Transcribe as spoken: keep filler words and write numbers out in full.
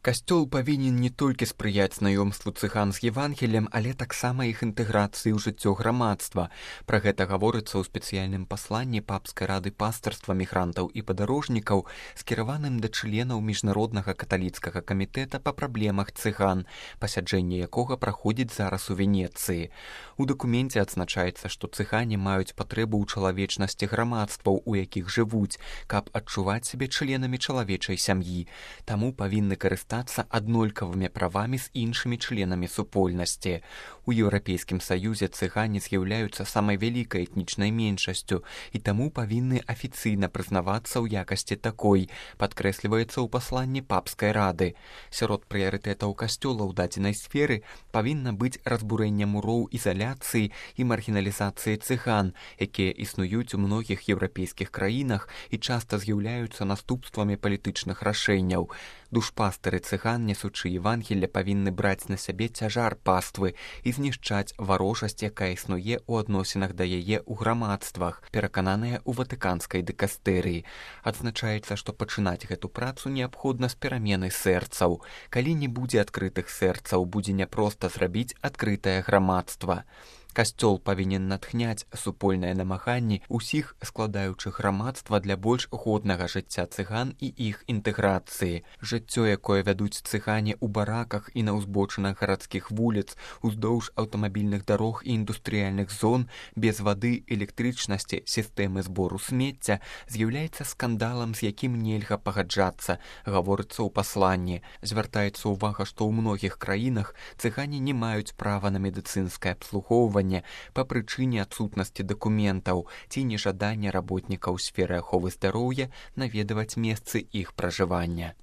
Касцёл павінен не толькі спрыяць знаёмству цыган з Евангеліем, але таксама іх інтэграцыі ў жыццё грамадства. Пра гэта гаворыцца ў спецыяльным пасланні Папскай рады пастырства мігрантаў і падарожнікаў, скіраваным да членаў міжнароднага каталіцкага камітэта па праблемах цыган, пасяджэнне якога праходзіць зараз у Венецыі. У дакуменце адзначаецца, што цыгане маюць патрэбу ў чалавечнасці грамадстваў, у якіх жывуць, каб адчуваць сябе членамі чалавечай сям'і. Таму павінны карыстацца аднолькавымі правамі з іншымі членамі супольнасці. У Еўрапейскім Саюзе цыгане з'яўляюцца самай вялікай этнічнай меншасцю і таму павінны афіцыйна прызнавацца ў якасці такой, падкрэсліваецца ў пасланні Папскай рады. Сярод прыярытэтаў касцёла ў дадзенай сферы павінна быць разбурэнне муроў ізаляцыі і маргіналізацыі цыган, якія існуюць у многіх еўрапейскіх краінах і часта з'яўляюцца наступствамі палітычных рашэнняў. Душпастыры цыган, несучы Евангелле, павінны браць на сябе цяжар паствы і знішчаць варожасць, якая існуе ў адносінах да яе ў грамадствах, перакананыя ў ватыканскай дыкастэрыі. Адзначаецца, што пачынаць гэту працу неабходна з перамены сэрцаў. Калі не будзе адкрытых сэрцаў, будзе няпроста зрабіць адкрытае грамадства. Касцёл павінен натхняць супольныя намаганні ўсіх складаючых грамадства для больш годнага жыцця цыган і іх інтэграцыі. Жыццё, якое вядуць цыгане ў бараках і на ўзбочынах гарадскіх вуліц, уздоўж аўтамабільных дарог і індустрыяльных зон, без вады, электрычнасці, сістэмы збору смецця, з'яўляецца скандалам, з якім нельга пагаджацца, гаворыцца ў пасланні. Звяртаецца ўвага, што ў многіх краінах цыгане не маюць права на медыцынскае абслугоўванне па прычыне адсутнасці дакументаў ці нежадання работнікаў сферы аховы здароўя наведваць месцы іх пражывання.